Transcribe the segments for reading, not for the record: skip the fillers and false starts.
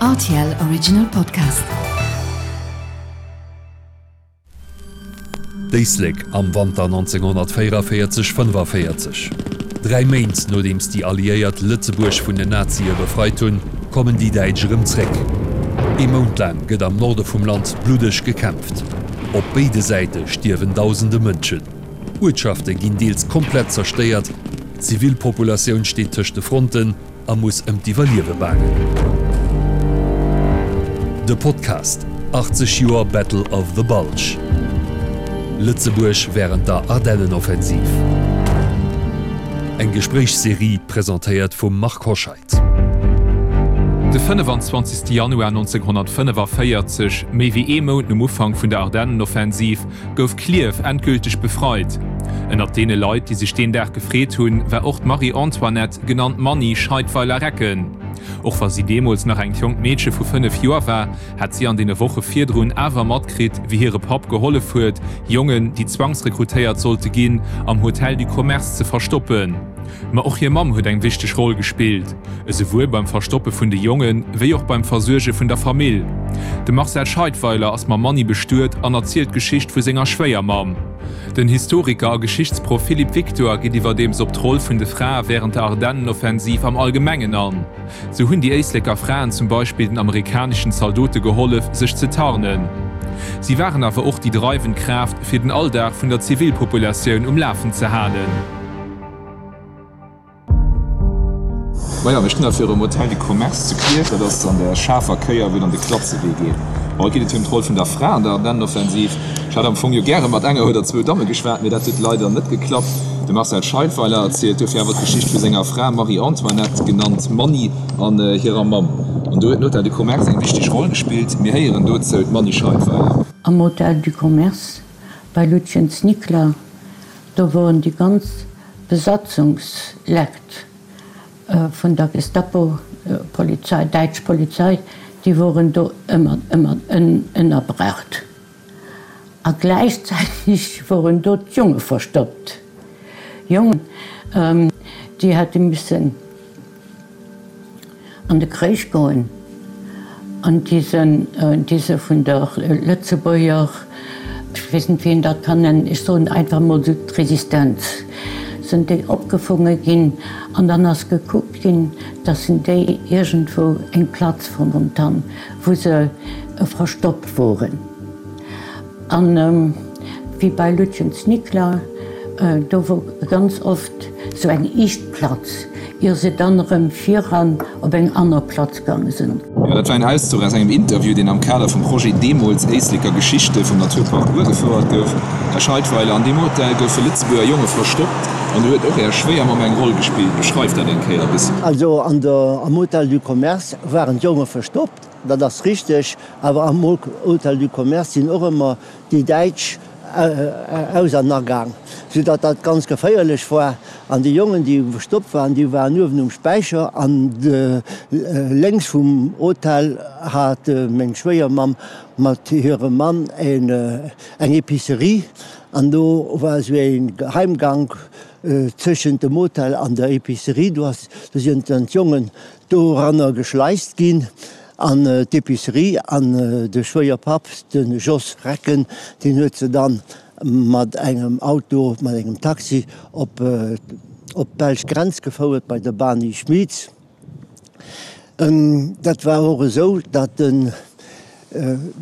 Rtl Original Podcast. D'Éislek am Wanter 1944, 45. Dräi Méint nodeems déi Alliéiert Lëtzebuerg vun den Nazie befreit hunn, kommen déi Däitsch erëm zréck. Ee Mount laang gëtt am Norde vum Land bluddeg gekämpft. Op béide Säite stierwen dausende Mënschen. Uertschafte ginn deels komplett zerstéiert, d'Zivilpopulatioun steet tëscht de Fronten a muss ëm d'Iwwerliewe baangen. De Podcast 80 Joer Battle of the Bulge, Lëtzebuerg wärend der Ardennenoffensiv. Eng Gespréichsserie presentéiert vum Marc Hoscheid. De 25 Januar 1945, méi wéi ee Mount nom Ufank vun der Ardennenoffensiv, gouf Klierf endgülteg befreit. Ënnert deene Leit, déi sech deen Dag gefreet hunn, war och d'Marie-Antoinette, genannt Manni Scheidweiler-Recken. Och wa si deemools nach engt jonkt Meedche vu 5 Joer war, hat si an deene Woche virdrun awer matkritt, wéi hire Papp gehollef huet, Jongen, déi zwangsrekrutéiert sollte ginn, am Hotel du Commerce ze verstoppen. Ma och hir Mamm huet eng wichteg Roll gespillt, esouwuel beim Verstoppe vun de Jongen, wéi och beim Versuerge vun der Famill. De Marcel Scheidweiler ass mam Manni bestuet an erzielt d'Geschicht vu senger Schwéiermamm. Den Historiker a Geschichtsproff Philippe Victor geet iwwerdeems op d'Roll vun de Frae wärend der Ardennenoffensiv am Allgemengen an. Sou hunn déi Éisleker Fraen zum Beispill den amerikaneschen Zaldote gehollef, sech ze tarnen. Si waren awer och déi dreiwend Kraaft, fir den Alldag vun der Zivilpopulatioun um Lafen ze halen. Majo, mir stinn hei virum Hotel du Commerce zu Klierf. Dat ass an der schaarfer Kéier, wou et an de Klatzewee geet. Bon, haut geet et jo ëm d'Roll vun der Fra an der Ardennenoffensiv. Ech hätt am Fong jo gäre mat enger oder zwou Damme geschwat, mee dat huet leider net geklappt. De Marcel Scheidweiler erzielt dofir awer d'Geschicht vu senger Fra Marie-Antoinette, genannt Manni, an hirer Mamm. An do huet den Hotel du Commerce eng wichteg Roll gespillt. Mir héieren dozou d'Manni Scheidweiler. Am Hotel du Commerce bei Lutjens Nicla Do woren déi ganz Besatzungslekt vun der Gestapo-Polizei, däitsch Polizei, déi woren do ëmmer, ëmmer ënnerbracht. A gläichzäiteg woren do d'Jonge verstoppt. Jongen, déi hätte missen an de Kréich goen an déi se, déi se vun der Lëtzebuerger, ech weess net wéi een dat kann nennen, ech soen einfach emol esou d'Resistenz, sinn déi opgefonge ginn an dann ass gekuckt ginn, datt se déi iergendwou eng Platz fonnt han, wou se verstoppt woren. An wéi bei Lutjens Nicla, do wor ganz oft sou eng iischt Platz, ier se dann erëm viran op eng anner Platz gaange sinn. Jo, dat war en Auszuch aus engem Interview, deen am Kader vum Projet Deemools Éisleker Geschichte vum Naturpark Our gefouert gouf. Här Scheidweiler, an deem Hotel goufe Lëtzebuerger Jonge verstoppt an do huet och Är Schwéiermamm eng Roll gespillt. Beschreift dat eng Kéier e bëssen. Also an der, am Hotel du Commerce waren d'Jonge verstoppt, dat ass richteg, awer am Hotel du Commerce sinn och ëmmer déi Däitsch aus an agaang, sou datt dat ganz geféierlech war. An déi Jongen, déi verstoppt waren, déi waren uewen um Späicher an lénks vum Hotel hat meng Schwéiermamm mat hirem Mann eng Epicerie an do war esou e Geheimgank tëschent dem Hotel an der Epicerie. Do ass, do sinn dann d'Jongen doranner geschleist ginn an d'Epicerie an de Schwéierpapp, de Jos Recken, deen huet se dann mat engem Auto, mat engem Taxi op op d'belsch Grenz gefouert bei de Bani Schmieds. Dat war och esou, datt den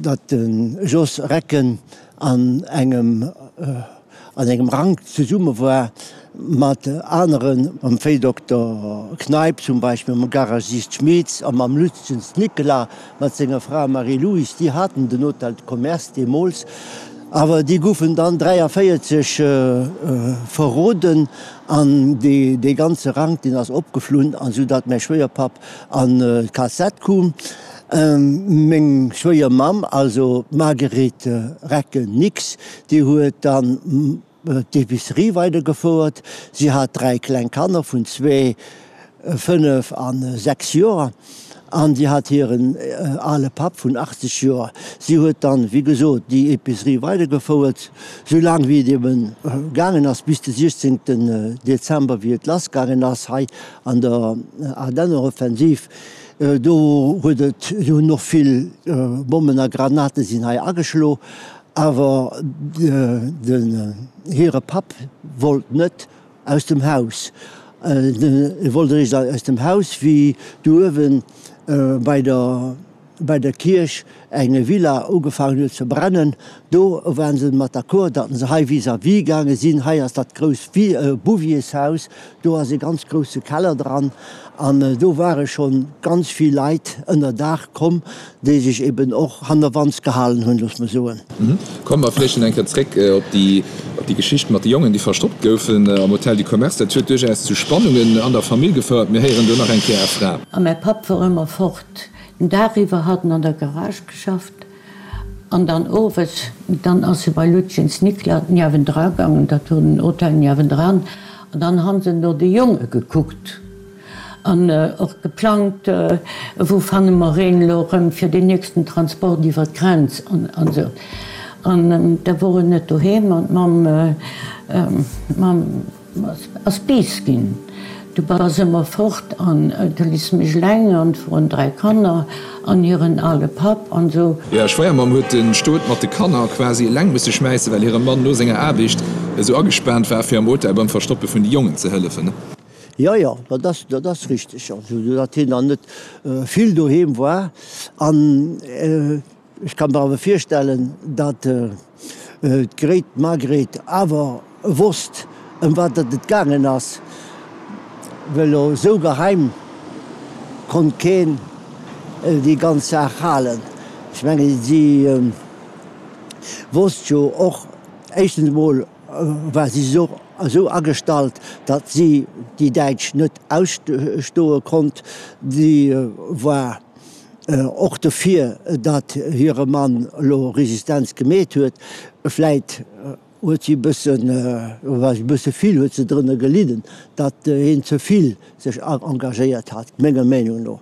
datt de Jos Recken an engem an engem Rank zesumme war mat aneren, mam Véidokter Kneip zum Beispill, mam Garagist Schmitz a mam Lütjens Nicolas mat senger Fra Marie-Louise, déi haten den Hôtel de Commerce deemools, awer déi goufen dann 43 verroden an dee ganze Rank, deen ass opgeflunn, an esou datt mäi Schwéierpapp an d'KZ koum. Meng Schwéiermamm, also d'Marguerite Recken-Nix, déi huet dann d'Epicerie weidergefouert. Si hat 3 kleng Kanner vun zwee, 5 a 6 Joer an si hat hiren ale Papp vun 80 Joer. Si huet dann, wéi gesot, déi Epicerie weidergefouert, sou laang wéi et eben gaangen ass, bis de 16 Dezember, wéi et lassgaangen ass hei an der Ardennenoffensiv. Do huet et, do hunn och vill Bommen a Granate sinn hei ageschlo, awer den hire Papp wollt net aus dem Haus. E wollt eréischt aus dem Haus, wéi do uewen bei der bei der Kierch eng Villa ugefaangen huet ze brennen, do waren se mat d'accord, datt se hei vis-à-vis gaange sinn. Hei ass dat grousst Bouviershaus, do ass e ganz grousse Keller dran an do ware scho ganz vill Leit ënner Daach komm, déi sech eben och hannerwands gehalen hunn, looss mer soen. Komme mer vläicht nach eng Kéier zréck op déi Geschicht mat de Jongen, déi verstoppt goufen am Hôtel du Commerce. Dat huet duerchaus zu Spannungen an der Famill gefouert. Mir héieren do nach eng Kéier Är Fra. A mäi Papp wor ëmmer fort. Den Dag iwwer hat en an der Garage geschafft an dann owes, dann ass e bei Lutjens Nickler niewendra gaangen, dat wor den Hotel niewendran, an dann han se no de Jonge gekuckt an och geplangt, wou fanne mer een elo erëm fir deen nächsten Transport iwwer d'Grenz an esou. An da wor en net doheem an d'Mamm, d'Mamm. Ass bees ginn. Du bass ëmmer fort an du liss mech eleng an vrun 3 Kanner an hiren ale Papp an sou. Är Schwéiermamm huet de Stot mat de Kanner quasi eleng musse schmäissen, well hire Mann no senger Aarbecht esou agespaant war, fir am Hotel beim Verstoppe vun de Jongen ze hëllefen. Jo, jo, dat ass, dat ass richteg, also datt hien dann net vill doheem war an. Ech ka mer awer virstellen, datt d'Gréit, d'Margréit, awer wosst, ëm wat datt et gaangen ass, well esou geheim konnt keen déi ganz Saach halen. Ech mengen, si wosst jo och, éischtens emol war si esou agestallt, datt si déi Däitsch net ausstoe konnt. Si war Och dofir, datt hire Mann elo Resistenz gemeet huet. Vläit huet si e bëssen, war e bësse vill, huet se drënner gelidden, datt hien ze vill sech engagéiert hat, menger Meenung no.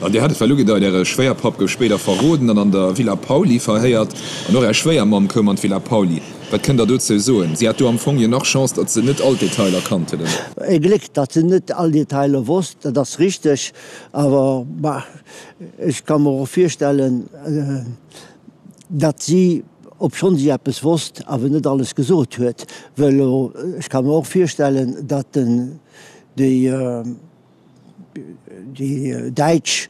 An Dir hat et well ugedeit, Äre Schwéierpapp gouf spéider verroden an an der Villa Pauly verhéiert. An och Är Schwéiermamm koum an d'Villa Pauly. Wat kënnt Der dozou soen? Si hat do am Fong jo nach Chance, datt se net all d'Detailer kannt huet, oder? Ee Gléck, datt se net all Detailer wosst, dat ass richteg. Awer bah, ech ka mer och virstellen, datt si, obschonn si eppes wosst, awer net alles gesot huet. Well ech ka mer och virstellen, datt déi Däitsch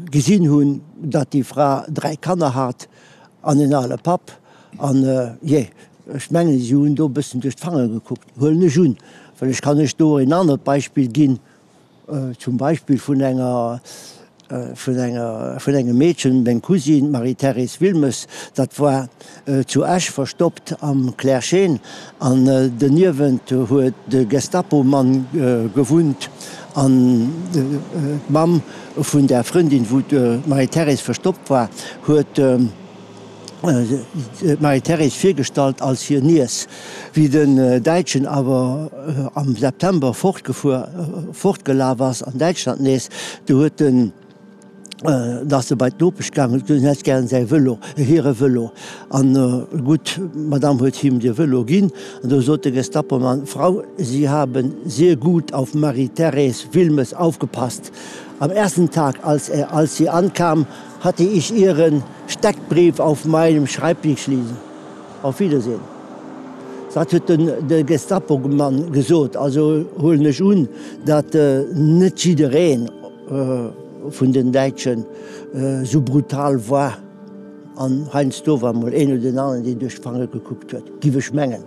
gesinn hunn, datt déi Fra 3 Kanner hat an en ale Papp. An, jee, ech mengen, si hunn do e bëssen duerch d'Fangere gekuckt, huelen ech un. Well ech kann lech do en anert Beispill ginn. Zum Beispill vun enger, vun enger, vun engem Meedchen, meng Cousine, d'Marie-Thérèse Wilmes, dat war zu Esch verstoppt am Clergé an doniewent huet de Gestapo-Mann gewunnt an d'Mamm vun där Frëndin, wou d'Marie-Thérèse verstoppt war, huet d'Marie-Thérèse virgestallt als hir Niess. Wéi den Däitschen awer am September fortgefuer, fortgelaf ass an Däitschland nees, du huet en, da ass e bei d'Nopesch gaangen, huet gesot, en hätt gären säi Vëlo, hire Vëlo. An gutt, d'Madame huet him de Vëlo ginn. An du sot de Gestapomann, Frau, Sie haben sehr gut auf Marie-Thérèse Wilmes aufgepasst. Am ersten Tag, als er, als sie ankam, hatte ich ihren Steckbrief auf meinem Schreibtisch liegen. Auf Wiedersehen. Dat huet de Gestapo-Mann gesot. Also huelen ech un, datt net jidderee vun den Däitschen esou brutal war. An heiansdo war mol een oder den aneren, deen duerch d'Fangere gekuckt huet, giff ech mengen.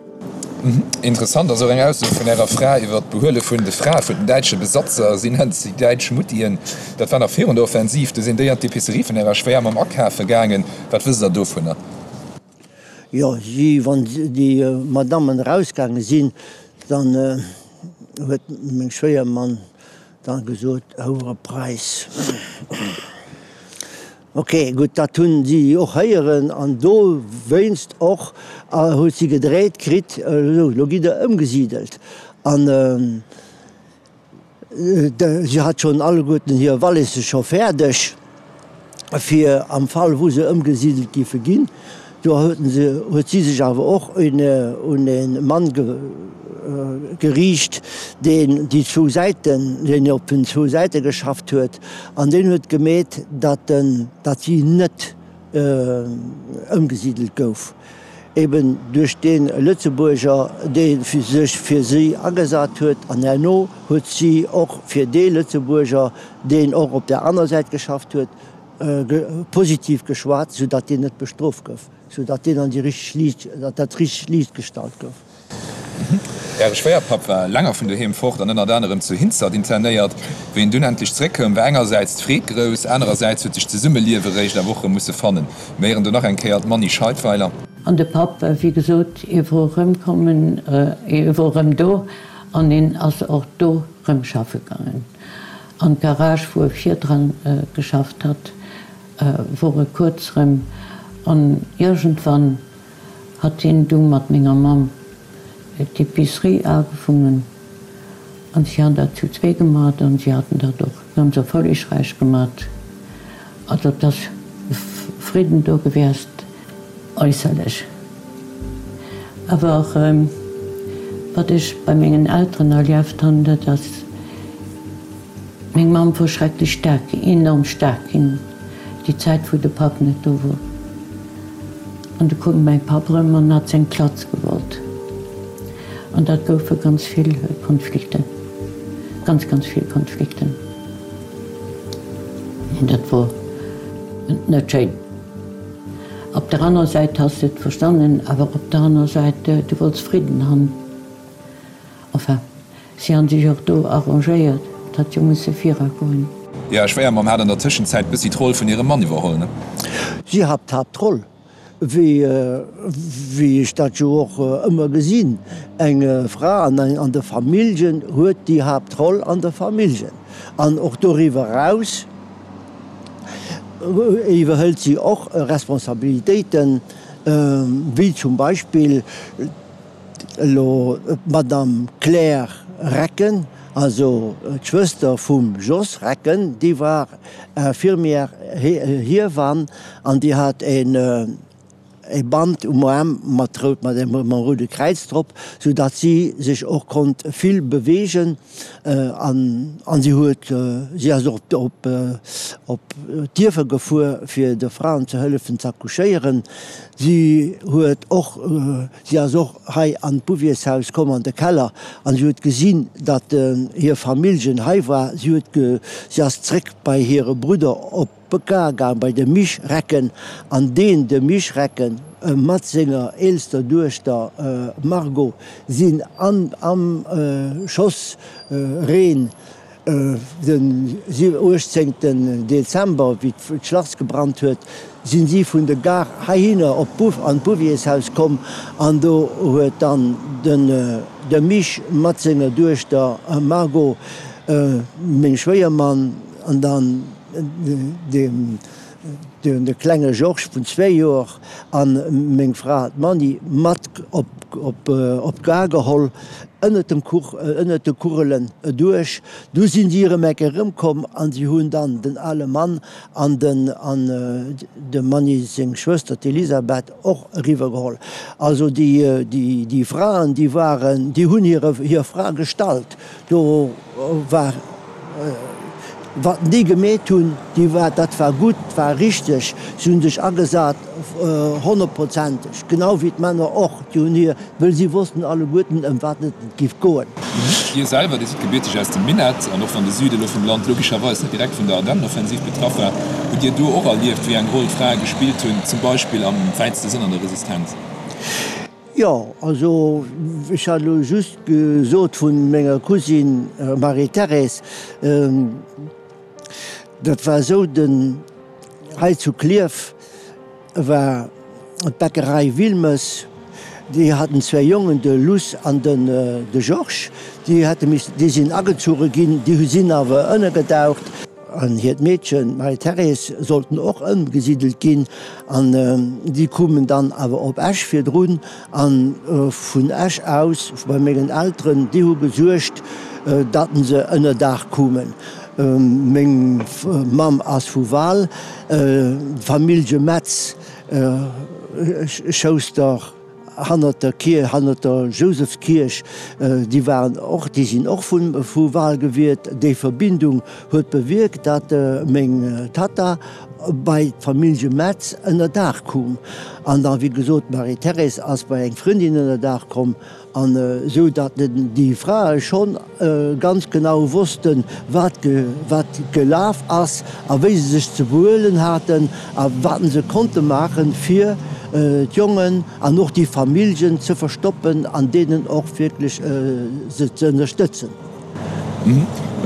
Interessant ass och eng Ausso vun Ärer Fra iwwer d'Behuele vun de Frae vun den däitsche Besatzer. Si nennt si däitsch Muttien. Dat war nach virun der Offensiv. Du sinn déi an d'Epicerie vun Ärer Schwéiermamm akafe gaangen. Wat wësst Der dovunner? Jo, si, wann déi Madammen erausgaange sinn, dann huet meng Schwéiermamm dann gesot, Houere Preis. Ok, gutt, dat hunn si och héieren an dowéinst och huet si gedréit kritt, Esou, elo gitt Der ëmgesidelt. An si hat schonn alleguerten hir Walisse scho fäerdeg, fir am Fall wou se ëmgesidelt géife ginn. Do huet si sech awer och un e Mann geriicht, deen déi zwou Säiten, deen op den zwou Säite geschafft huet, an deen huet gemeet, datt si net ëmgesidelt gouf, eben duerch dee Lëtzebuerger, dee sech fir si agesat huet, an herno huet si och fir dee Lëtzebuerger, deen och op där aner Säit geschafft huet, positiv geschwat, soudatt deen net bestrooft gouf, soudatt deen an déi richteg Liicht, datt dat richtegt Liicht gestallt gouf. Äre Schwéierpapp war länger vun doheem fort an ënnert anerem zu Hinzert internéiert. Wéi en dunn endlech zeréckkoumm, war engersäits d'Freed grouss, anerersäits huet sech d'Zesummeliewe réischt a Woche musse fannen. Mir héieren do nach eng Kéier d'Manny Scheidweiler. An de Papp, wéi gesot, e wor erëmkommen, e wor erëm do an en ass och do rëm schaffe gaangen. An d'Garage, wou e virdran geschafft hat, wor e kuerz rëm. An iergendwann hat hien du mat menger Mamm d'Epicerie agefongen an si han dat zu zwee gemat an si haten dat och ganz erfollegräich gemat. Also et ass Fridden do gewiescht, äusserlech. Awer wat ech bei mengen Elteren erlieft han, dat ass, meng Mamm wor schrecklech staark, enorm staark ginn, déi Zäit wou de Papp net do wor. An du koum mäi Papp erëm an hat seng Platz gewollt. An dat goufe ganz vill Konflikten, ganz, ganz vill Konflikten. An dat wor net schéin. Op der aner Säit has de et verstannen, awer op der aner Säit, du wollts Fridden han. Enfin, si han sech och do arrangéiert, et hat jo musse viragoen. Är Schwéiermamm hat an der Tëschenzäit bëssi d'Roll vun hirem Mann iwwerholl, ne? Si hat d'Haaptroll, wéi ech dat jo och ëmmer gesinn. Eng Fra an der Familljen huet déi Haaptroll an der Familljen. An och doriwwer eraus iwwerhëlt si och Responsabilitéiten, wéi zum Beispill elo d'Madame Claire Recken, also d'Schwëster vum Jos Recken, déi war Infirmière, Hiewann, an déi hat een e Band um Aarm mat rout, mat engem roude Kräiz drop, sou datt si sech och konnt vill beweegen an an si huet, si ass och op op d'Dierfer gefuer fir de Fraen ze hëllefen z'accouchéieren. Si huet och, si ass och hei an d'Bouviershaus komm an de Keller an si huet gesinn, datt hir Familljen hei war. Si huet, si ass zréck bei hire Brudder op. Beka gaang bei de Misch Recken, an deen de Misch Recken mat senger eelster Duechter Margot sinn an am Schoss Reen den 18 Dezember, wéi d'Schlass gebrannt huet, sinn si vun de Gare heihinner op d'Bouv an d'Bouviershaus komm, an do huet dann den de Misch mat senger Duechter Margot, meng Schwéiermann, an dann De klenge Georges vun zwéi Joer a meng Fra d'Manni mat op d'Gare geholl, ënnert dem Kuch, ënnert de Kugelen duerch. Du sinn si erëm eng Kéier erëmkomm an si hunn dann den ale Mann an den an dem Manni seng Schwëster d'Elisabeth och eriwwer geholl. Also déi déi Fraen déi waren, déi hunn hire hir Fra gestallt. Do war, wat déi gemeet hunn, déi war, dat war gutt, war richteg. Si hunn sech agesat, honnertprozenteg, genau wéi d'Männer och. Déi hunn hir, wëll si wossten alleguerten, ëm wat et giff goen. Dir selwer, Dir sidd gebierteg aus dem Minett, an och wann de Süde elo vum Land logescherweis net direkt vun der Ardennenoffensiv betraff war, hutt Dir do och erlieft, wéi eng Roll d'Frae gespillt hunn, zum Beispill am wäitste Sënn an der Resistenz? Jo, also ech hat elo just gesot vu menger Cousine Marie-Thérèse, dat war esou, den hei zu Klierf war d'Bäckerei Wilmes, déi haten zwéi Jongen, de Luss an den de Georges, déi hätte missen, déi sinn agezuche ginn, déi sinn awer ënnergedaucht. An hiert Meedchen, d'Marie-Thérèse, sollten och ëmgesidelt ginn. An déi koumen dann awer op Esch virdrun. A vun Esch aus, bei mengen Elteren, déi hu gesuergt, datt se ënnerdaach koumen. Meng Mamm ass vu Wal, d'Famillje Metz. Schouster hannert der Kierch, hannert der Jousefskierch, déi waren och, déi sinn och vu Wal gewiert. Déi Verbindung huet bewierkt, datt meng Tatta bei d'Famillje Metz ënnerdaach koum. An da wéi gesot, d'Marie-Thérèse ass bei eng Frëndin ënnerdaach komm. An esou datt déi Frae schonn ganz genau wossten, wat wat gelaf ass a wéi se sech ze behuelen haten a wat se konnte maachen, fir d'Jongen an och déi Familljen ze verstoppen an deenen och wierklech se ze ënnerstëtzen.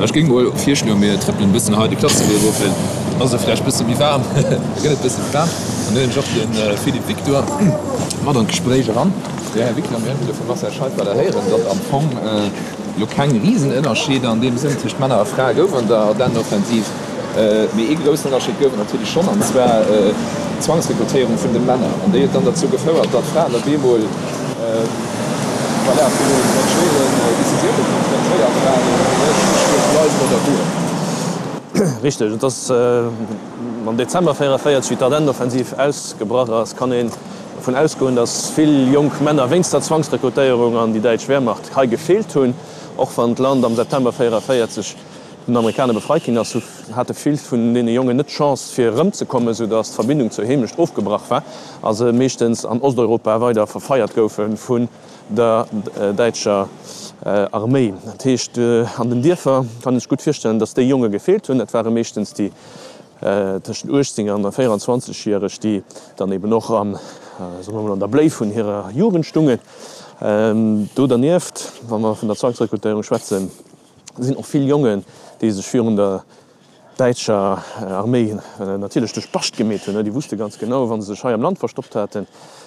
Ech géing mol virschloen, mir trëppelen e bëssen hei de Klassewee erof, well dann ass et vläicht e bësse méi waarm, da gëtt et e bësse méi waarm. An dann huelen ech och de Philippe Victor mat an d'Gespréich eran. Jo, Här Victor, mir hunn elo vum Marcel Scheidweiler héieren, datt am Fong elo keng Risenënnerscheeder an deem Sënn tëscht Männer a Frae gouf an der Ardennenoffensiv. Mee ee groussen Ënnerscheed gouf et natierlech schonn, an zwar d'Zwangsrekrutéierung vun de Männer. An déi huet dann derzou gefouert, datt d'Fraen op eemol, voilà, viru ganz schwéieren Decisioune konfrontéiert waren, Ech bleiwen oder goen. Richteg. Et ass am Dezember 44, wéi d'Ardennenoffensiv ausgebrach ass, kann een dervun ausgoen, datt vill jonk Männer wéinst der Zwangsrekrutéierung an déi däitsch Wehrmacht hei gefeelt hunn. Och wann d'Land am September 44 vun den Amerikaner befreit ginn ass, hate vill vun deene Jongen net d'Chance fir erëmzekommen, sou datt d'Verbindung zur Heemecht ofgebrach war a se meeschtens an Osteuropa weider verfeiert goufe vun der däitscher Arméi. Dat heescht, an den Dierfer kann een sech gutt virstellen, datt déi Jonge gefeelt hunn. Dat ware meeschtens déi tëschent 18 an 24 järeg, déi dann eben och am, soe mer mol, an der Bléi vun hirer Jugend stungen. Do dernieft, wa mer vun der Zwangsrekrutéierung schwätzen, sinn och vill Jongen, déi sech virun der däitscher Arméi natierlech duerch d'Bascht gemeet hunn. Déi wusste ganz genau, wa se sech hei am Land verstoppt haten,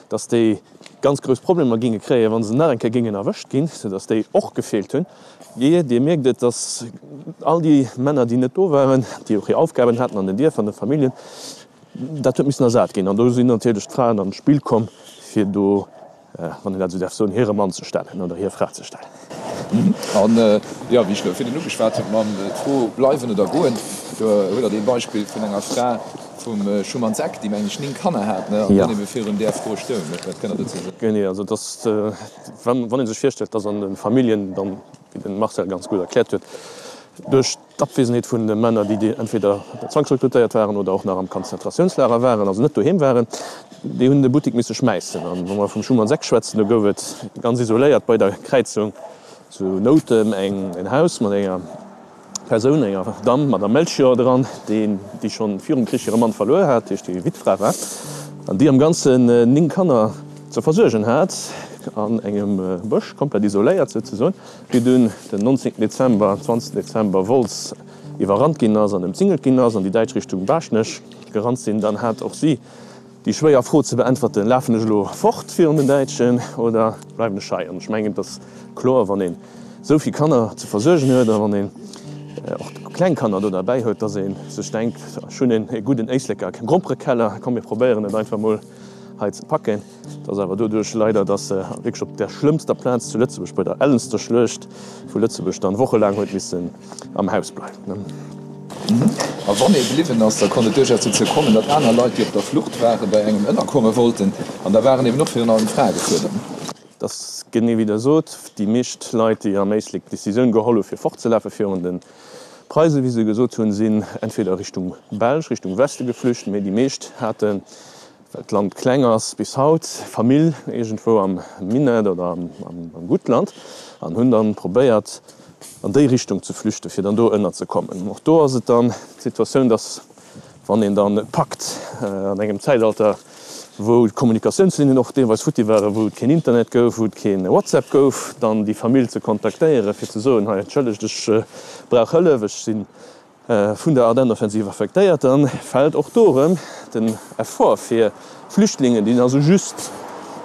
datt déi ganz grouss Problemer géinge kréien, wa se nach eng Kéier géingen erwëscht ginn, soudatt déi och gefeelt hunn. Jee, Dir mierkt et, datt all déi Männer, déi net do waren, déi och hir Aufgaben haten an den Dierfer, an de Familljen, dat huet missen ersat ginn. An do sinn natierlech d'Fraen an d'Spill komm, fir do, wann een dat esou däerf soen, hire Mann ze stellen oder hir Fra ze stellen. An, jo, wéi ech elo virdrun ugeschwat hunn, mam d'Fro bleiwen oder goen, do huet Der dee Beispill vun enger Fra vum Schumann's Eck, déi, mengen ech, 9 Kanner hat, ne, an dunn ebe virun där Fro stoung. Wat kënnt Der dozou soen? Genee, also et ass, wann ee sech virstellt, dass an de Familljen dann, wéi de Marcel ganz gutt erkläert huet, duerch d'Abwesenheet vun de Männer, déi entweder zwangsrekrutéiert waren oder och nach am Konzentratiounslager waren, also net doheem waren, déi hunn de Buttik misse schmäissen. An wa mer vum Schumann's Eck schwätzen, do gouf et ganz isoléiert bei der Kräizung zu Noutem en Haus mat enger Persoun, enger Damm, Madame Melchior, dran, déi déi schonn virum Krich hire Mann verluer hat, dat heescht déi Wittfra war, an déi am Ganzen 9 Kanner ze versuergen hat, an engem Bësch, komplett isoléiert souzesoen, wéi dunn den 19 Dezember, 20 Dezember Wolz iwwerrannt ginn ass an ëmzingelt ginn ass an déi Däitsch Richtung Baaschtnech gerannt sinn, dann hat och si déi schwéier Fro ze beäntwerten, Lafen ech elo fort virun den Däitschen oder bleiwen ech hei? An ech mengen, et ass kloer, wann een esou vill Kanner ze versuergen huet a wann een och kleng Kanner do derbäi huet, dass ee sech denkt, Ech hunn e gudden Éisleker Gromperekeller, komm mir probéieren et einfach mol hei ze packen. Et ass awer doduerch leider, dass se wierklech op där schlëmmster Plaz zu Lëtzebuerg, bei der ellenster Schluecht vu Lëtzebuerg, dann wochelaang huet missen am Haus bleiwen. A wann ee bliwwen ass, da konnt et duerchaus dozou kommen, datt aner Leit, déi op der Flucht waren, bei engem ënnerkomme wollten. An da waren eben och virun allem Frae gefuerdert. Et ass genee wéi Der sot, déi meescht Leit, déi am Éislek d'Decisioun geholl hu fir fortzelafe virun de Preisen, wéi se gesot hunn, sinn entweder Richtung Belsch, Richtung Weste geflücht, mee déi meescht haten Well d'Land kleng ass, bis haut Famill iergendwou am Minett oder am Guttland an hunn dann probéiert an déi Richtung ze flüchten, fir dann do ënnerzekommen. Och do ass et dann d'Situatioun, dass wann een dann et packt an engem Zäitalter, wou d'Kommunikatiounslinnen och deelweis futti waren, wou et keen Internet gouf, wou et keen WhatsApp gouf, dann déi Famill ze kontaktéieren, fir ze soen, hei entschëllegt, ech brauch Hëllef, ech sinn vun der Ardennenoffensiv affektéiert, dann fält och do erëm den Effort fir Flüchtlingen, déi also just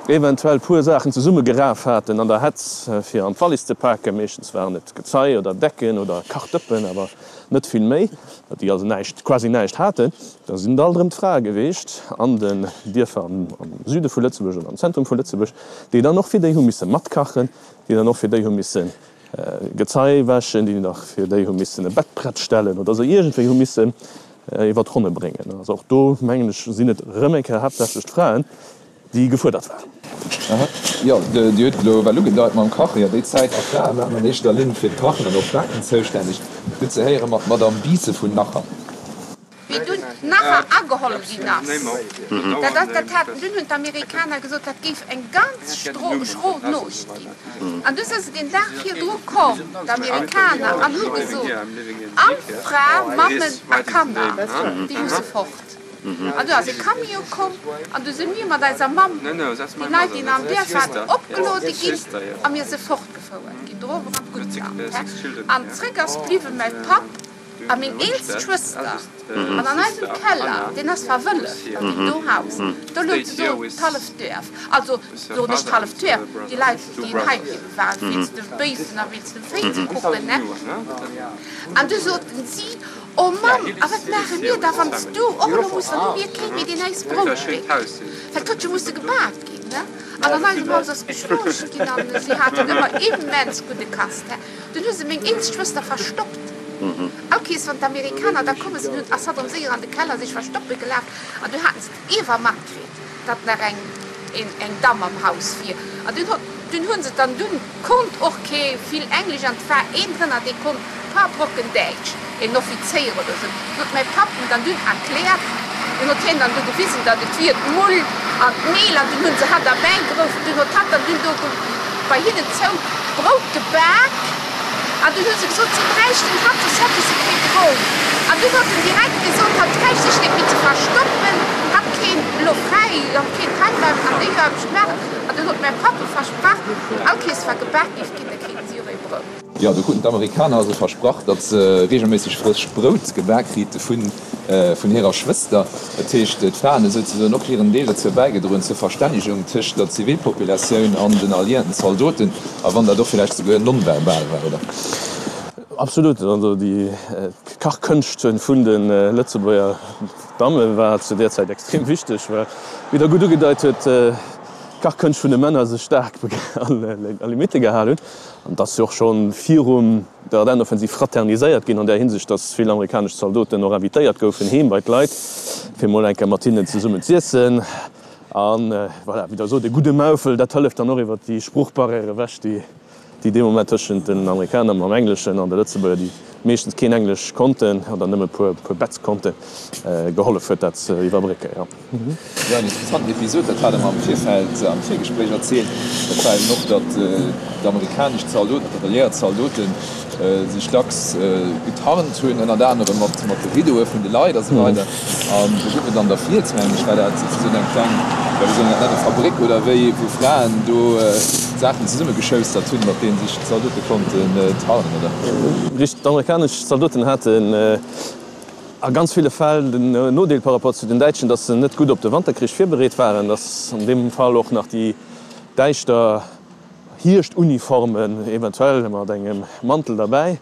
eventuell puer Saachen zesummegeraf haten an der Hetz fir an d'Wallis ze paken, meeschtens waren et Gezei oder Decken oder Kachdëppen, awer net vill méi, déi also näischt, quasi näischt haten, da sinn et alt erëm d'Frae geweecht an den Dierfer am Süde vu Lëtzebuerg oder am Zentrum vu Lëtzebuerg, déi dann och fir déi hu misse matkachen, déi dann och fir déi hu misse Gezei wäschen, déi nach fir déi hu missen e Bett prett stellen oder se iergendwéi hu missen. Iwwer d'Ronne bréngen. Also och do, mengen ech, sinn et erëm eng Kéier haaptsächlech d'Fraen, déi gefuerdert waren. Aha, jo, Dir hutt elo well ugedeit mam Kachen. Jo, déi Zäit, a Frae waren an éischter Linn fir d'Kachen an och d'Baken zoustänneg. Gutt ze héiere mat Madame Biisse vun Nacher. Wéi dunn Nacher ageholl ginn ass, dat ass, dat haten, dunn hunn d'Amerikaner gesot, dat géif eng ganz schro Nuecht ginn. An du si se deen Dag virdru komm, d'Amerikaner, an hu gesot, All Fra, Mammen a Kanner, déi musse fort. An du ass e Camion komm an du si mir mat eiser Mamm, déi Leit, déi nach am Duerf waren, opgeluede ginn a mir si fortgefouert ginn, dorower an d'Guttland. An zréck ass bliwwe mäi Papp A meng eelst Schwëster, an an eisem Keller, deen ass verwëlleft an deem do Haus, do louch do d'halleft Duerf, also soen ech d'halleft Duerf, déi Leit, déi hei bliwwe waren, wéinst de Béifen a wéinst dem Véi ze kucken, ne. An du soten si, O Mamm, a wat maache mir da, wann s du och elo muss, dann hu mir kee méi, deen äis Brout béckt, well 't huet jo musse gebak ginn, ne. An an eisem Haus ass geschlooscht ginn an si haten ëmmer immens gudde Kast, he. Dunn hu se meng eelst Schwëster verstoppt. All Kees wann d'Amerikaner da komme sinn, hunn ass hatt erëm séier an de Keller sech verstoppe gelaf an du haten se d'Iewer matkritt, datt nach eng eng Damm am Haus wier. An dunn hott dunn hu se dann dunn konnt och kee vill Englesch an 't war een drënner dee konnt paar Brocken Däitsch, een Offizéier oder sou. Dunn huet mäi Papp en dann dunn erkläert, dunn huet hien dann du gewisen, datt et wier d'Mull an d'Mehl an dunn hu se hatt erbäigeruff, dunn huet hatt dann dunn do bei hinnen zou d'Brout gebak an dunn hu se gesot, si bräichten hatt, soss hätte se kee Brout. An dunn huet en direkt gesot, hatt bräicht sech net méi ze verstoppen, hatt kéint elo fräi, hatt kéint heimbleiwen an déi Aarbecht maachen. An dunn huet mäi Papp e versprach, wann all Kees war gebak géif ginn, da kriten si och ee Brout. Jo, do kruten d'Amerikaner also versprach, datt se reegelméisseg frëscht Brout gebak krite vun hirer Schwëster. Dat heescht, d'Fraen hu souzesoen och hiren Deel dozou bäigedroen, zur Verstännegung tëscht der Zivilpopulatioun an den alliierten Zaldoten, a wann dat och villäicht souguer nonverbal war, oder? Absolut. Also déi Kachkënscht vun de Lëtzebuerger Damme war zu där Zäit extrem wichteg, well, wéi Der gutt ugedeit huet, d'Kachkënscht vun de Männer sech staark a Limitte gehal hunn. An et ass jo och scho virum der Ardennenoffensiv fraterniséiert ginn an där Hinsicht, datt vill amerikanesch Zaldoten och invitéiert goufen heem bei d'Leit, fir mol eng Kéier mat hinnen zesummen z'iessen. A voilà, wéi Der sot, e gudde Maufel, dat hëlleft dann och iwwer déi Sproochbarrière ewech, déi déi dee Moment tëschent den Amerikaner mam Engleschen an de Lëtzebuerger, déi meeschtens keen Englesch konnten oder nëmme e puer Bätz konnten, gehollef huet, dat ze iwwerbrécken, jo. Jo, en interessanten Episod, dat hat Der mer am Virfeld am Virgespréich erzielt, dat war eben och, datt d'amerikanesch Zaldoten, datt d'alliéiert Zaldote sech dacks getarnt hunn, ënnert anerem mat de Riddoe vun de Leit a sou weider. An do gouf et an der Fiels, mengen ech, war dat souzesoen eng kleng, jo, wéi soll een dat nennen, Fabrik oder wéi, wou Fraen do Saachen zesummegeschoustert hunn, mat deenen sech d'Zaldote konnten tarnen, oder? Richteg, d'amerikanesch Zaldoten haten A ganz ville Fäll den Nodeel par rapport zu den Däitschen, datt se net gutt op de Wanterkrich virbereet waren, datt an deem Fall och nach déi däischter Hierschtuniformen, eventuell mat engem Mantel derbäi,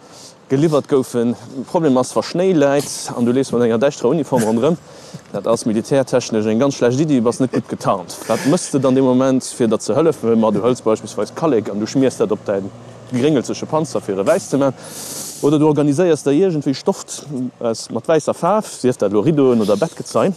geliwwert goufen. De Problem ass, wa Schnéi läit an du leefs mat enger däischterer Uniform ronderëm, dat ass militärtechnesch eng ganz schlecht Iddi, du bass net gutt getarnt. Wat mëss de dann dee Moment, fir der ze hëllefen? Ma du hëls beispillsweis Kallek an du schmiers dat op däin. Gréngelzege Panzer fir e wäiss ze man, oder du organiséiers der iergendwéi Stoff aus mat wäisser Faarf, sief dat elo Rideauen oder Bettgezei,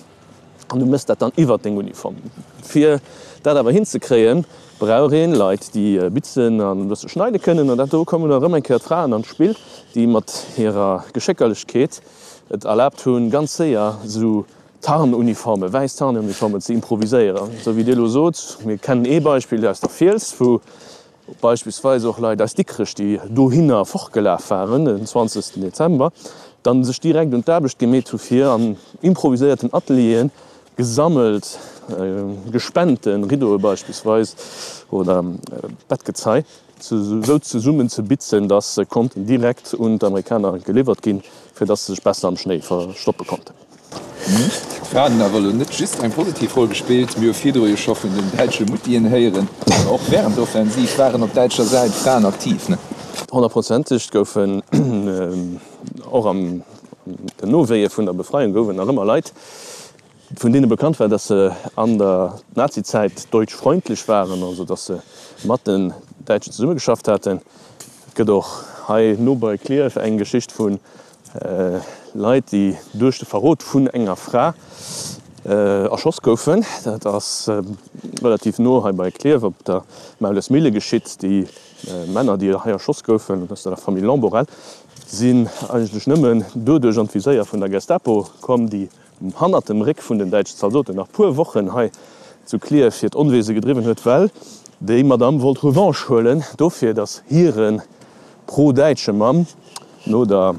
an du mëss dat dann iwwert deng Uniform. Fir dat awer hinzekréien, brauch een Leit déi bitzen an e bësse schneide kënnen, an dat do kommen da rëm eng Kéier d'Fraen an d'Spill, déi mat hirer Geschéckerlechkeet et erlaabt hunn, ganz séier esou Tarnuniformen, wäiss Tarnuniformen ze improviséieren. Esou wéi Dir elo sot, mir kennen ee Beispill aus der Fiels, wou beispillsweis och Leit aus Dikrech, déi dohinner fortgelaf waren den 20 Dezember, dann sech direkt un d'Aarbecht gemeet hu fir an improviséierten Atelieren gesammelt gespente Riddoe beispillsweis oder Bettgezei esou zesummen ze bitzen, dass se konnten direkt un d'Amerikaner geliwwert ginn, fir dass se sech besser am Schnéi verstoppe konnten. D'Fraen hunn awer elo net just eng positiv Roll gespillt. Mir hu virdru jo scho vun den däitsche Muttien héieren. Mä och wärend der Offensiv waren op däitscher Säit Fraen aktiv, ne? Honnertprozenteg goufen och an den Nowéie vun der Befreiung gouf et nach ëmmer Leit, vun deene bekannt war, datt se an der Nazizäit deutschfreundlich waren, also datt se mat den Däitschen zesummegeschafft haten. Et gëtt och hei no bei Klierf eng Geschicht vun. Leit, déi duerch de Verrot vun enger Fra erschoss goufen. Dat ass relativ no hei bei Klierf op der Maulesmille geschitt. Déi Männer, déi hei erschoss goufen, aus der Famill Lamborelle, sinn eigentlech nëmmen doduerch an d'Viséier vun der Gestapo komm, déi hannert dem Réck vun den däitschen Zaldoten nach puer Wochen hei zu Klierf hiert Onwese gedriwwen huet, well déi Madamm wollt Revanche huelen dofir, datt hire pro-däitsche Mann no der,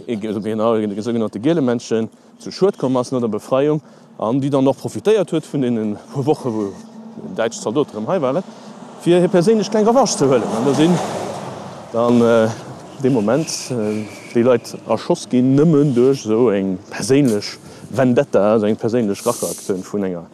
genau, de sougenannte Gielemännchen zu Schued komm ass no der Befreiung an déi dann och profitéiert huet vun deene puer Woche wou däitsch Zaldote rëm hei waren, fir hir perséinlech kleng Revanche ze huelen. An do sinn dann dee Moment déi Leit erschoss ginn, nëmmen duerch esou eng perséinlech Vendetta, esou eng perséinlech Racheaktioun vun enger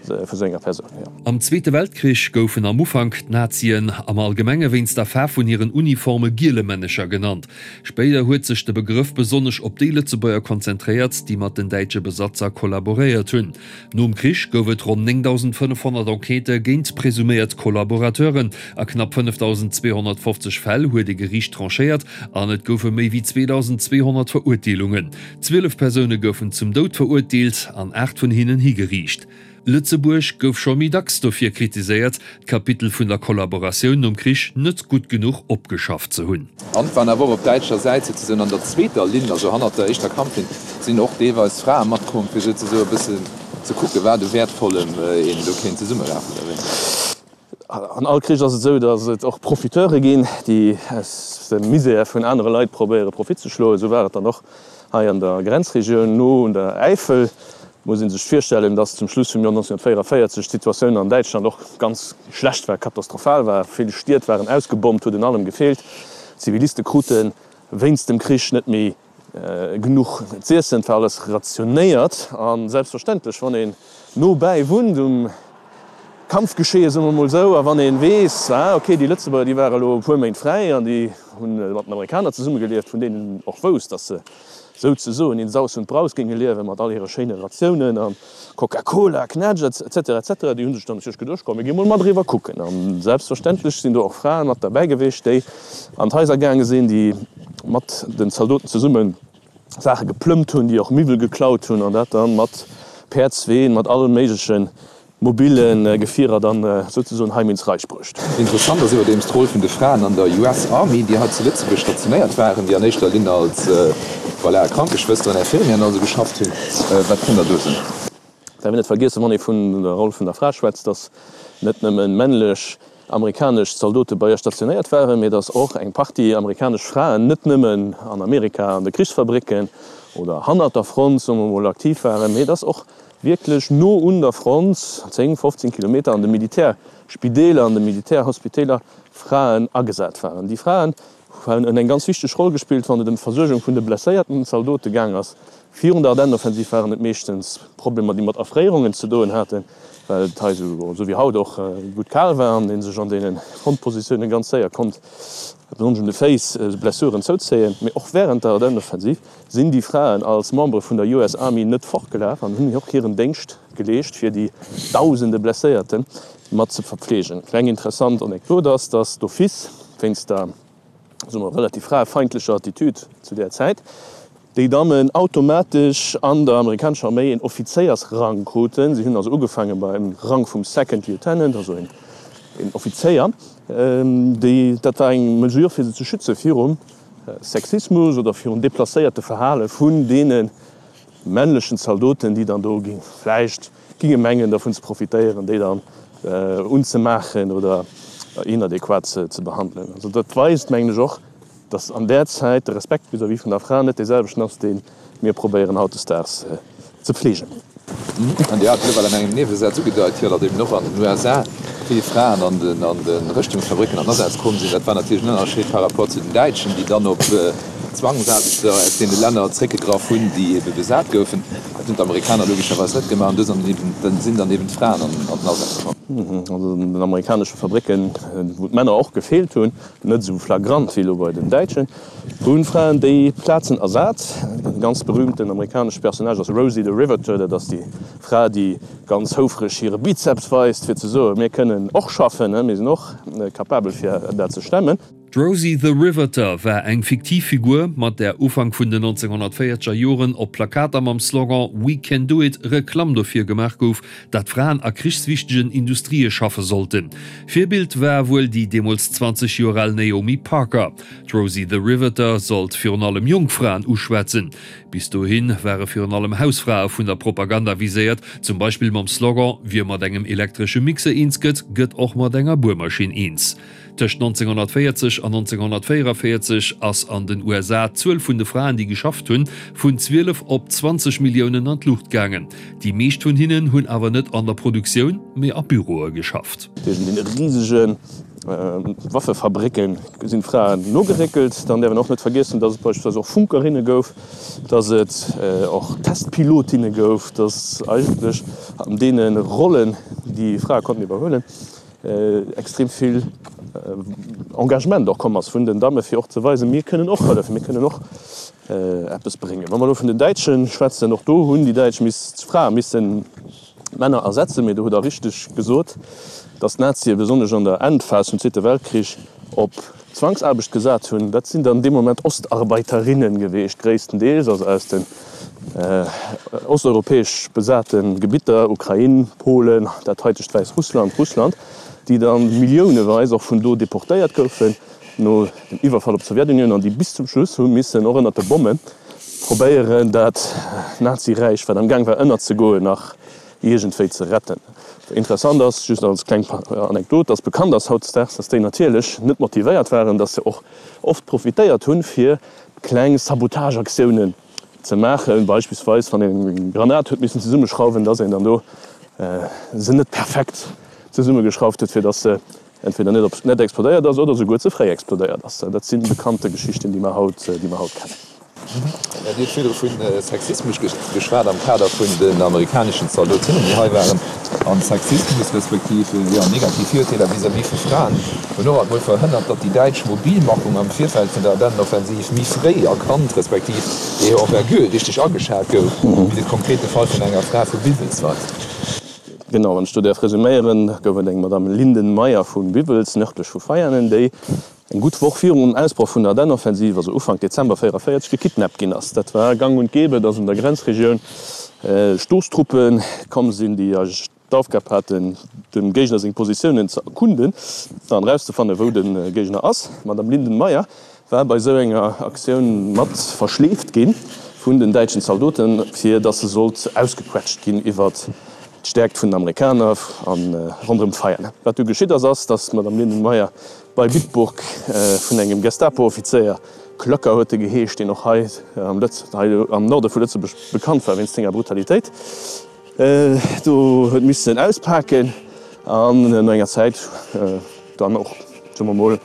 vu sou enger Persoun, jo. Am Zweete Weltkrich goufen am Ufank d'Nazien am Allgemenge wéinst der Faarf vun hiren Uniforme Gielemännecher genannt. Spéider huet sech de Begrëff besonnesch op déi Lëtzebuerger konzentréiert, déi mat den däitsche Besatzer kollaboréiert hunn. Nom Krich gouf et ronn 9.500 Enquêtë géint presuméiert Kollaborateuren. A knapp 5.250 Fäll huet e Geriicht tranchéiert an et goufe méi wéi 2.200 Verurteelungen. 12 Persoune goufen zum Doud verurteelt an 8 vun hinnen higeriicht. Lëtzebuerg gouf scho méi dacks dofir kritiséiert, d'Kapitel vun der Kollaboratioun nom Krich net gutt genuch opgeschafft ze hunn. An et waren awer och op däitscher Säit souzesoen an der zweeter Linn, also hannert der éischter Kampflinn, sinn och deelweis Frae matkomm, fir souzesoe e bëssen ze kucken, wat u Wäertvollem een do kéint zesummerafen oder wéi. An all Krich ass et esou, datt et och Profiteure ginn, déi aus dem Misär vun anere Leit probéiere Profit ze schloen. Esou war et dann och hei an der Grenzregioun no un der Äifel. Et muss ee sech virstellen, datt zum Schluss vum Joer 1944 d'Situatioun an Däitschland och ganz schlecht war, katastrophal war. Vill Stied waren ausgebommt, huet un allem gefeelt. D'Ziviliste krute wéinst dem Krich net méi genuch z'iessen, et war alles rationéiert a selbstverständlech, wann een no bäi wunnt um Kampfgeschehen, soe mer mol esou, a wann ee weess, ah ok, déi Lëtzebuerger, déi ware lo e puer Méint fräi an déi hu mat den Amerikaner zesummegelieft, vun deenen een och wousst, datt se souzesoen in Saus und Braus géinge liewen, mat all hire schéine Ratiounen a Coca-Cola, Knätsch, etc. Etc. Déi hu sech dann natierlech geduecht, komm mir gi mol mat eriwwer kucken. A selbstverständlech sinn do och Frae mat derbäi gewiescht, déi an d'Haiser gaange sinn, déi mat den Zaldoten zesumme Saache geplëmmt hunn, déi och Miwwel geklaut hunn an dat dann mat Päerdsween, mat alle méigleche mobile Gefierer dann souzesoen heim ins Reich bruecht. Interessant ass iwwerdeems d'Roll vun de Fraen an der US Army, déi hei zu Lëtzebuerg stationéiert waren, déi an éischter Linn als, voilà, Krankeschwësteren, Infirmieren also geschafft hunn. Wat kënnt Der do soen? Däerf een net vergiessen, wann ee vun der Roll vun der Fra schwätzt, datt net nëmme männlech amerikanesch Zaldote bei ihr stationéiert waren, mee datt och eng Partie amerikanesch Fraen net nëmmen an Amerika an de Krichsfabricken oder hannert der Front, soe mer mol, aktiv waren, mee datt och wierklech no un der Front, 10, 15 Kilometer, an de Militärspideeler, an de Militärhospiteeler Fraen agesat waren. Déi Fraen hunn eng ganz wichteg Roll gespillt, wann et ëm d'Versuergung vun de blesséierten Zaldote gaang ass. Virun der Ardennenoffensiv waren et meeschtens Problemer, déi mat Erfréierungen ze doen haten, well et hei esou wéi haut och gutt kal war an ee sech an deene Frontpositioune ganz séier konnt, besonnesch un de Féiss, Blessuren zouzéien. Mee och wärend der Ardennenoffensiv sinn déi Fraen als Membere vun der US Army net fortgelaf an hunn och hiren Déngscht geleescht, fir déi dausende Blesséierte mat ze verpfleegen. Kleng interessant Anekdot ass, dass d'office wéinst der, soe mer, relativ fraefeindlecher Attitude zu där Zäit, déi Dammen automatesch an der amerikanescher Arméi een Offizéiersrang kruten. Si hunn also ugefaange beim Rang vum Second Lieutenant, also een Offizéier. Déi, dat war eng Mesure fir se ze schütze virum Sexismus oder virun deplacéierte Verhale vun deene männlechen Zaldoten, déi dann do vläicht ginge mengen dervun ze profitéieren, déi dann unzemaachen oder inadequat ze behandelen. Also dat weist, mengen ech, och, dass an där Zäit de Respekt vis-à-vis vun der Fra net dee selwechten ass, dee mir probéieren hautdesdaags ze pflegen. An Dir hat et elo well an engem Niewesaz ugedeit, jo, datt eben och an den USA vill Fraen an den an de Rëschtungsfabricken an Asaz komm sinn. Dat war natierlech en Ënnerscheed par rapport zu den Däitschen, déi dann op Zwangsaarbechter aus deene Länner zréckgegraff hunn, déi ebe besat goufen. Dat hunn d'Amerikaner logescherweis net gemaach an do sinn dann eben d'Fraen an den Asaz komm. Also an den amerikanesche Fabricken, wou d'Männer och gefeelt hunn, net esou flagrant wéi elo bei den Däitschen, hunn d'Fraen déi Plazen ersat. E ganz berühmten amerikanesche Personnage ass Rosie the Riveter, dat ass déi Fra, déi ganz houfreg hire Bizeps weist, fir ze soen, mir kënnen och schaffen, mir sinn och capabel fir dat ze stemmen. D'Rosie the Riveter war eng fiktiv Figur, mat där Ufank vun den 1940er Joren op Plakater mam Slogan We can do it Reklamm dofir gemaach gouf, dat Fraen a krichswichtegen Industrië schaffe sollten. Virbild war wuel déi deemools 20 Joer al Naomi Parker. D'Rosie the Riveter sollt virun allem jonk Fraen uschwätzen. Bis dohi ware virun allem Hausfrae vun der Propaganda viséiert, zum Beispill mam Slogan Wie mat engem elektresche Mixer eens gëtt, gëtt och mat enger Buermaschinn eens. Tëscht 1940 an 1944 ass an den USA d'Zuel vun de Fraen, déi geschafft hunn, vun 12 op 20 Milliounen an d'Luucht gaangen. Déi meescht vun hinnen hunn awer net an der Produktioun, mee a Büroe geschafft. Tëschent deene risege Waffefabrécke sinn d'Fraen nogeréckelt. Dann däerf een och net vergiessen, datt et beispillsweis och Funkerinne gouf, datt et och Testpilotinne gouf, datt eigentlech an deene Rollen, déi Frae konnten iwwerhuelen, extrem vill Engagement och komm ass vun den Damme fir och ze weisen, mir kënnen och hëllefen, mir kënnen och eppes bréngen. Wa mer elo vun den Däitsche schwätzen, och do hunn déi Däitsch miss, d'Frae missen d'Männer ersetzen. Mee do hutt Der richteg gesot, datt d'Nazie besonnesch an der Endphas vum Zweete Weltkrich op Zwangsaarbecht gesat hunn. Dat sinn dann dee Moment Ostarbeiterinnen geweecht gréisstendeels, also aus den osteuropäesch besate Gebitter, Ukrain, Polen, dat haitegt Wäissrussland, Russland, déi da milliouneweis och vun do deportéiert goufen no dem Iwwerfall op d'Sowjetunioun an déi bis zum Schluss hu missen och ënnert de Bomme probéieren, dat Naziräich, wat am Gaang war ënnerzegoen, nach iergendwéi ze retten. Interessant ass, just als kleng Anekdot, dass bekannt ass hautdesdaags, dass déi natierlech net motivéiert waren, dass se och oft profitéiert hunn, fir kleng Sabotageaktiounen ze maachen, beispillsweis wann een eng Granat huet missen zesummeschrauwen, dass een dann do se net perfekt zesummegeschrauft huet, fir dass se entweder net op net explodéiert ass oder souguer ze fréi explodéiert ass. Dat si bekannte Geschichten, déi mer haut, déi mer haut kennen. Dir hutt virdru vu Sexismus geschwat am Kader vun den amerikaneschen Zaldotinnen, déi hei waren. An Sexismus respektiv, jo, negativ Virurteeler vis-à-vis vu Fraen hunn och alt mol verhënnert, datt déi däitsch Mobilmachung am Virfeld vun der Ardennenoffensiv méi fréi erkannt respektiv hir Envergure richteg ageschat gouf, wéi de konkrete Fall vun enger Fra vu Biwels weist. Genau, wann ech do däerf resuméieren, gouf et eng Madame Linden-Meyer vu Biwels, nërdlech vu Veianen, déi eng gutt Woch virum Ausbroch vun der Ardennenoffensiv, also Ufank Dezember 44, gekidnappt ginn ass. Dat war gang und gäbe, dass an der Grenzregioun Stoosstruppe komm sinn, déi eigentlech d'Aufgab haten, dem Géigner seng Positiounen ze erkunden an erauszefannen, wou de Géigner ass. D'Madame Linden-Meyer war bei esou enger Aktioun mat verschleeft gi vun den däitschen Zaldoten, fir datt se sollt ausgequetscht ginn iwwert d'Stäerkt vun den Amerikaner a ronderëm d'Veianen. Wat du geschitt ass, ass, datt d'Madame Lindenmayer bei Bitburg vun engem Gestapo-Offizéier, Klöcker huet e geheescht, deen och hei am Norde vu Lëtzebuerg bekannt war wéinst senger Brutalitéit, do huet missen auspaken an no enger Zäit dann och, soe mer mol,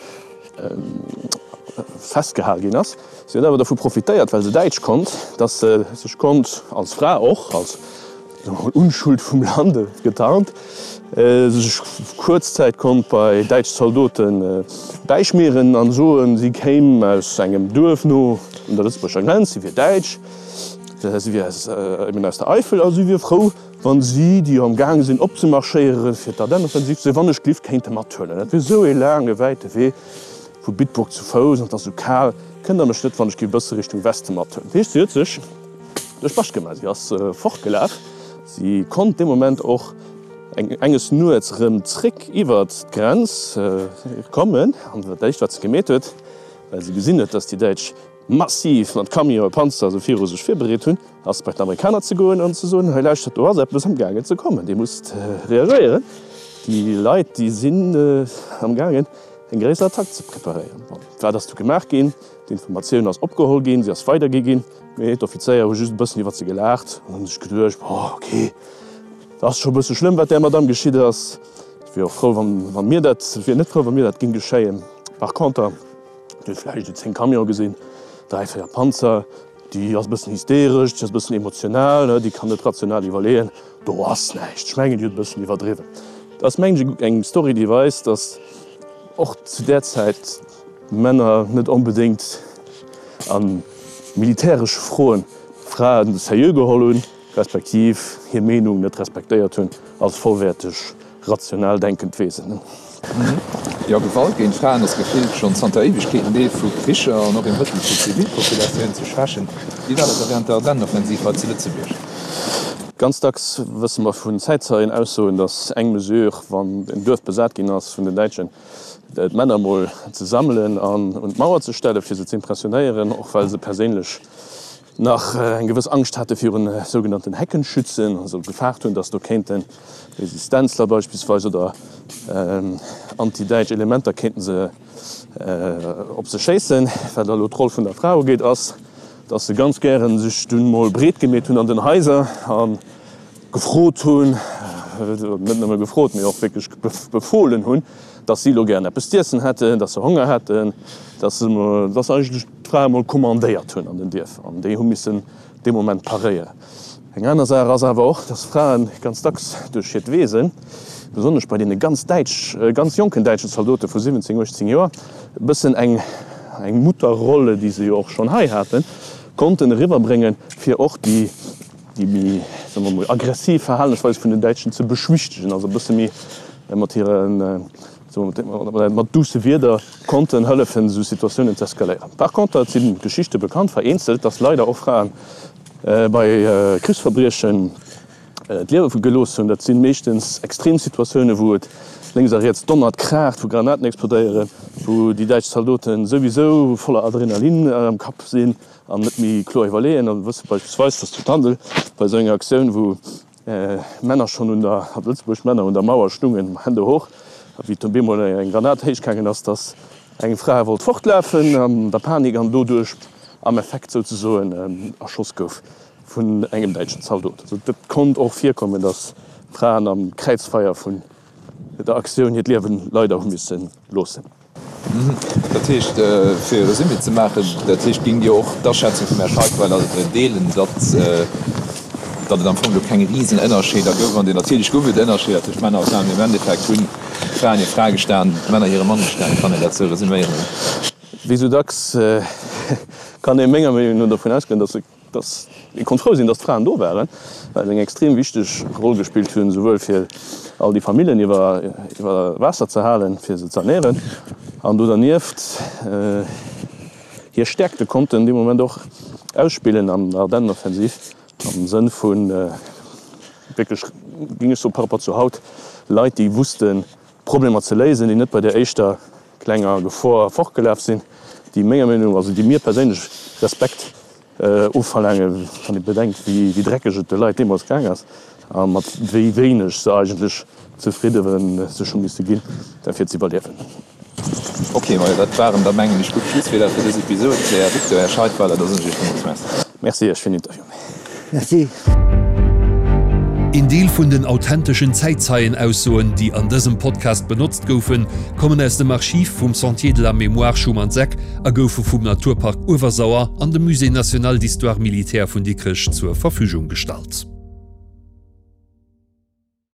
festgehal ginn ass. Si huet awer dovu profitéiert, well se Däitsch konnt, dass se sech konnt als Fra, och als Unschuld vum Lande getarnt, sech kuerz Zäit konnt bei däitsch Zaldote bäischmieren an soen, si kéim aus engem Duerf no un der lëtzebuerger Grenz, si wier Däitsch, si wier eben aus der Eifel a si wier frou, Wann si, déi jo am gaange sinn opzemarschéieren, fir d'Ardennenoffensiv ze wann ech glift kéinte mathuelen. Dat wier esou ee laange wäite Wee vu Bitburg zu Fouss an 't ass esou kal, kënnt der mech net wann ech giff e bësse Richtung Weste mathuelen. Dat heescht, si huet sech duerch d'Bascht gemaach, si ass fortgelaf. Si konnt dee Moment och enges Nuets erëm zréck iwwert d'Grenz kommen an dat éischt wat se gemeet huet, well se gesinn huet, dass déi Däitsch massiv mat Camionen, Panzer esou viru sech virbereet hunn, ass bei d'Amerikaner ze goen an ze soen, hei lauschtert, do ass eppes amgaangen ze kommen, Dir musst reagéieren, déi Leit, déi sinn amgaangen eng gréisser Attack ze preparéieren. Bon, wat ass du gemaach ginn? D'Informatioun ass opgeholl ginn, si ass weidergi ginn, mee d'Offizéier hu just e bëssen iwwert se gelaacht an hu sech geduecht, bon, okay, dat ass scho e bësse schlëmm, wat där Madamm geschitt ass, ech wier och frou, wa mir dat, wier net frou, wa mir dat géing geschéien. Par conter, Dir hutt vläicht esou 10 Camionë gesinn, 3, 4 Panzer. Déi ass e bëssen hysteresch, déi ass e bëssen emotional, déi kann net rational iwwerleeën. Do ass näischt. Ech mengen, déi huet e bëssen iwwerdriwwen. Dat ass, mengen ech, eng Story, déi weist, datt och zu där Zäit d'Männer net onbedéngt a militäresche Froen d'Frae seriö geholl hunn, respektiv hir Meenung net respektéiert hunn als vollwäerteg rational denkend Wesen. Jo, Gewalt géint Fraen ass gefillt schonn zanter Éiwegkeeten Deel vu Kricher an och ee Mëttel fir d'Zivilpopulatioun ze schwächen. Wéi war dat da wärend der Ardennenoffensiv hei zu Lëtzebuerg? Ganz dacks wësse mer vun Zäitzeienaussoen, datt eng Mesure, wann en Duerf besat ginn ass vun den Däitschen, d'Männer emol ze sammelen an un d'Mauer ze stellen, fir se ze impressionéieren, och well se perséinlech nach eng gewëss Angscht hate virun sougenannten Heckenschützen, also gefaart hunn, datt do kéinte Resistenzler beispillsweis oder antidäitsch Elementer kéinten se op se schéissen. Wat elo d'Roll vun der Fra ugeet, ass, datt se ganz gäre sech dunn mol breet gemeet hunn an den Haiser a gefrot hunn, net nëmme gefrot, mee och wierklech befohlen hunn, datt si elo gären eppes z'iessen hätten, datt se Honger hätten, datt se eigentlech d'Frae mol kommandéiert hunn an den Dierfer an déi hu missen dee Moment paréieren. Eng aner Saach ass awer och, dass Frae ganz dacks duerch hiert Wesen, besonnesch bei deene ganz däitsch, ganz jonken däitschen Zaldote vu 17, 18 Joer, e bëssen eng eng Mutterrolle, déi se jo och schonn hei haten, konnten eriwwerbréngen, fir och déi déi méi, soe mer mol, aggressiv Verhalensweis vun den Däitschen ze beschwichtegen, also e bësse méi mat hiren Mat duusse Wierder konnten hëllefen, esou Situatiounen z'eskaléieren. Par conter, et si Geschichte bekannt, vereenzelt, dass leider och Frae bei Krichsverbriechen d'Liewe gelooss hunn. Dat si meeschtens extrem Situatiounen, wou et lénks a riets donnert, kraacht, wou Granaten explodéieren, wou déi däitsch Zaldote souwisou voller Adrenalin am Kapp sinn an net méi kloer iwwerleeën. A wësse beispillsweis, dass zu Tandel bei esou enger Aktioun, wou Männer schonn un der, hat Lëtzebuerg Männer un der Mauer stungen, Hände hoch, a wéi op eemol eng Granat héichgaangen ass, dass eng Fra wollt fortlafen an der Panik an doduerch am Effekt souzesoen erschoss gouf vun engem däitschen Zaldot. Also dat konnt och virkommen, dass Fraen am Kräizfeier vun der Aktioun hiert Liewen leider hu misse loossen. Dat heescht, fir e Resumé ze maachen, dat heescht, géingt Dir och d'Aschätzung vum Här Scheidweiler deelen, datt datt et am Fong do keng risen Ënnerscheeder gouf an natierlech gouf et Ënnerscheeder tëscht Männer a Fraen, mee am Endeffekt hunn d'Fraen hir Fra gestan, d'Männer hire Mann gestan. Kann een dat esou resuméieren? Wéi esou dacks kann ee menger Meenung no dovun ausgoen, datt e Dass ee konnt frou sinn, dass d'Fraen do waren, well se eng extrem wichteg Roll gespillt hunn, souwuel fir all déi Famillen iwwer iwwer Waasser ze halen, fir se z'ernären, an do dernieft hir Stäerkte konnten dee Moment och ausspillen an der Ardennenoffensiv am Sënn vu wierklech, géing ech soen, par rapport zu haut, Leit, déi wussten, Problemer ze léisen, déi net bei der éischter klenger Gefor fortgelaf sinn, déi menger Meenung no, also déi mir perséinlech Respekt ofverlaangen, wann ee bedenkt, wéi dreckeg et de Leit deemools gaang ass a mat wéi wéineg se eigentlech zefridde sech hu misse ginn, fir ze iwwerliewen. Ok, majo, dat waren da mengen ech gutt Schlusswierder fir dës Episod. Här Victor, Här Scheidweiler, da soen ech Iech villmools Merci. Merci Iech fir den Interview. Merci. Een Deel vun den authenteschen Zäitzeienaussoen, déi an dësem Podcast benotzt goufen, kommen aus dem Archiv vum Sentier de la Mémoire Schumann-Seck a goufe vum Naturpark Uewersauer an dem Musée national d'histoire militaire vun Dikrech zur Verfügung gestallt.